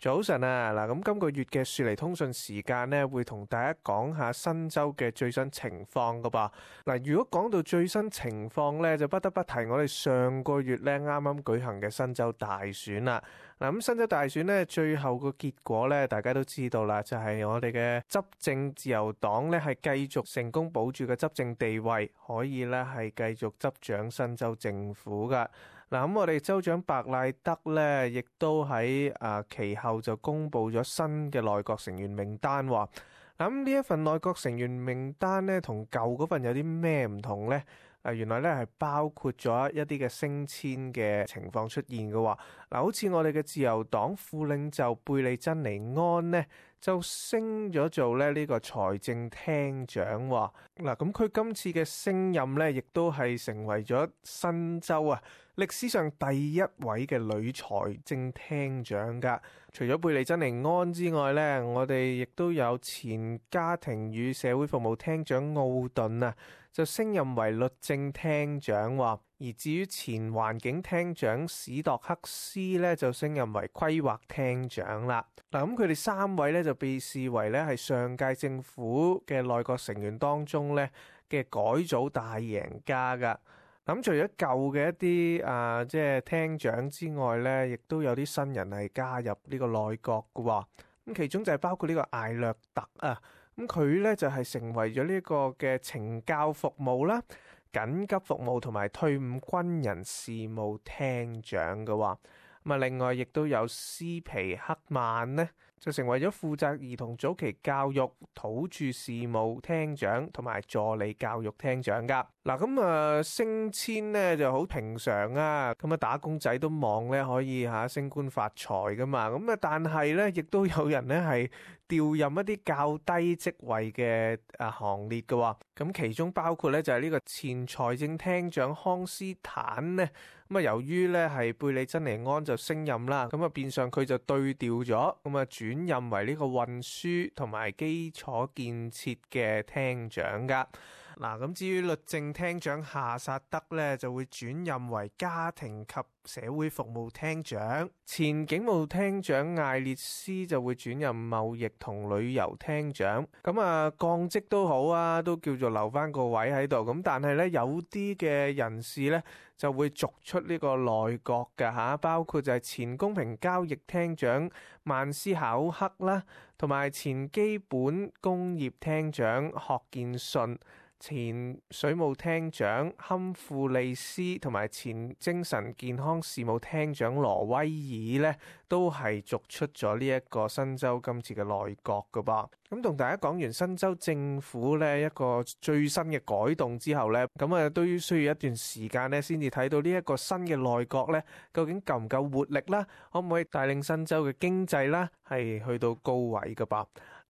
早晨啊，嗱，咁今個月嘅雪梨通訊時間呢，會同大家講下新州嘅最新情況噶噃。嗱，如果講到最新情況呢，就不得不提我哋上個月呢啱啱舉行嘅新州大選啦。嗱，咁新州大選呢，最後個結果呢，大家都知道啦，就係我哋嘅執政自由黨呢，係繼續成功保住嘅執政地位，可以呢係繼續執掌新州政府噶。嗱，咁我哋州長白賴德咧，亦都喺其後就公布咗新嘅內閣成員名單喎。嗱，咁呢一份內閣成員名單咧，同舊嗰份有啲咩唔同咧？原來咧係包括咗一啲嘅升遷嘅情況出現嘅喎。嗱，好似我哋嘅自由黨副領袖貝利珍尼安呢，就升咗做咧呢個財政廳長喎。嗱，咁佢今次嘅升任咧，亦都係成為咗新州歷史上第一位嘅女財政廳長噶。除咗貝利珍尼安之外咧，我哋亦都有前家庭與社會服務廳長奧頓就升任為律政廳長喎。而至於前環境廳長史度克斯咧，就升任為規劃廳長啦。嗱，咁佢哋三位咧就被視為咧係上屆政府嘅內閣成員當中咧嘅改組大贏家噶。咁除咗舊嘅一啲即係廳長之外咧，亦都有啲新人係加入呢個內閣嘅喎。咁其中就係包括呢個艾略特咁佢咧就係成為咗呢個嘅懲教服務啦、緊急服務同埋退伍軍人事務廳長嘅喎。咁另外亦都有斯皮克曼呢，就成為咗負責兒童早期教育、土著事務廳長同埋助理教育廳長噶。嗱，咁升遷呢就好平常啊，咁打工仔都望咧可以升官發財噶嘛。咁但係咧亦都有人咧係調任一啲較低職位嘅行列嘅。咁其中包括咧就係呢個前財政廳長康斯坦呢。咁由於咧係貝利珍尼安就升任啦，咁變相佢就對調咗，咁轉任為呢個運輸同埋基礎建設嘅廳長噶。嗱，咁至於律政廳長夏薩德咧，就會轉任為家庭及社會服務廳長，前警務廳長艾列斯就會轉任貿易同旅遊廳長。咁降職都好啊，都叫做留翻個位喺度。咁但係咧有啲嘅人士咧就會逐出呢個內閣嘅包括就係前公平交易廳長曼斯考克啦，同埋前基本工業廳長霍建順，前水務廳長坎富利斯同埋前精神健康事務廳長羅威爾呢，都係逐出咗呢一個新州今次嘅內閣噶噃。咁同大家講完新州政府呢一個最新嘅改動之後呢，咁都需要一段時間呢先至睇到呢一個新嘅內閣呢究竟夠唔夠活力啦，可唔可以帶領新州嘅經濟啦係去到高位噶噃。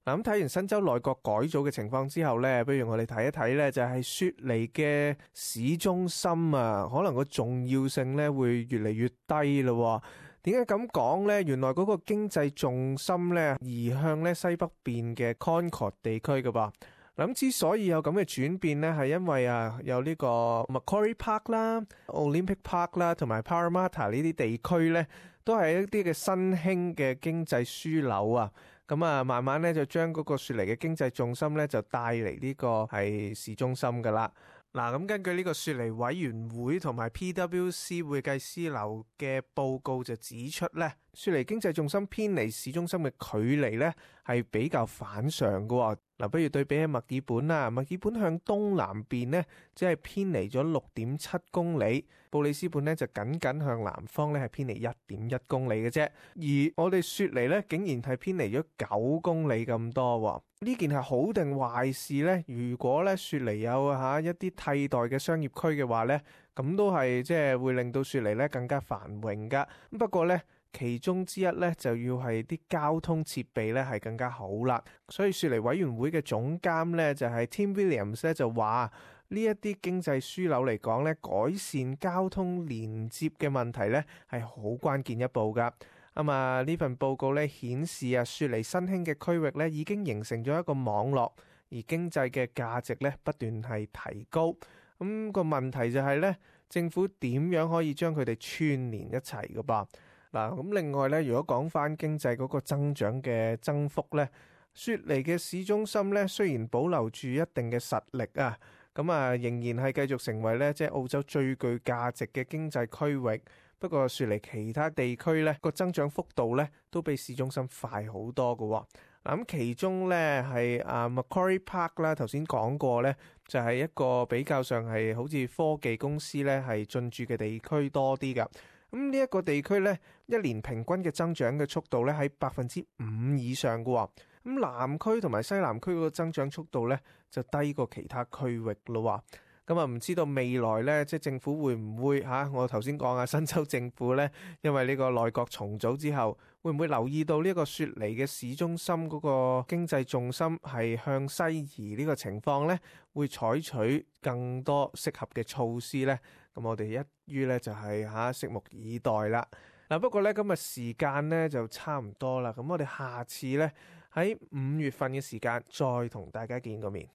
咁睇完新州內閣改組嘅情況之後呢，不如我哋睇一睇呢，就係雪梨嘅市中心可能個重要性呢會越嚟越低咯。點解咁講呢？原來嗰個經濟重心呢移向呢西北邊嘅 Concord 地區㗎噃。咁之所以有咁嘅轉變呢，係因為有呢個 Macquarie Park 啦、Olympic Park 啦，同埋 Parramatta 呢啲地區呢，都係一啲嘅新興嘅經濟樞紐咁慢慢咧就將嗰個雪梨嘅經濟重心咧就帶嚟呢個係市中心噶啦。嗱，咁根據呢個雪梨委員會同埋 PwC 會計師樓嘅報告就指出咧，雪梨經濟重心偏離市中心嘅距離咧係比較反常嘅。嗱，不如對比起墨爾本啦，墨爾本向東南邊呢，只係偏離咗6.7公里，布里斯本呢就僅僅向南方咧係偏離1.1公里嘅啫。而我哋雪梨咧竟然係偏離咗9公里咁多。呢件係好定壞事呢？如果咧雪梨有一啲替代嘅商業區嘅話呢，咁都係即係會令到雪梨咧更加繁榮噶。不過呢，其中之一咧就要係啲交通設備咧係更加好啦。所以雪梨委員會嘅總監咧就係 Tim Williams 咧就話呢一啲經濟樞紐嚟講咧，改善交通連接嘅問題咧係好關鍵一步噶。呢份報告咧顯示雪梨新興嘅區域咧已經形成咗一個網絡，而經濟嘅價值咧不斷係提高。個問題就係咧，政府點樣可以將佢哋串連一齊噶噃？嗱，咁另外咧，如果講翻經濟嗰個增長嘅增幅咧，雪梨嘅市中心咧雖然保留住一定嘅實力啊，咁啊仍然係繼續成為咧即係澳洲最具價值嘅經濟區域。不過雪梨其他地區咧個增長幅度咧都比市中心快好多㗎喎。咁其中咧係Macquarie Park 啦，頭先講過咧，就係一個比較上係好似科技公司咧係進駐嘅地區多啲㗎。咁呢一個地區咧，一年平均嘅增長嘅速度咧喺5%以上㗎喎。咁南區同埋西南區嗰個增長速度咧就低過其他區域咯。咁唔知道未來咧，即係政府會唔會我頭先講新州政府咧，因為呢個內閣重組之後，會唔會留意到呢個雪梨嘅市中心嗰個經濟重心係向西移呢個情況咧，會採取更多適合嘅措施咧？咁我哋一於咧就係拭目以待啦。嗱，不過咧今日時間咧就差唔多啦，咁我哋下次咧喺5月份嘅時間再同大家見個面。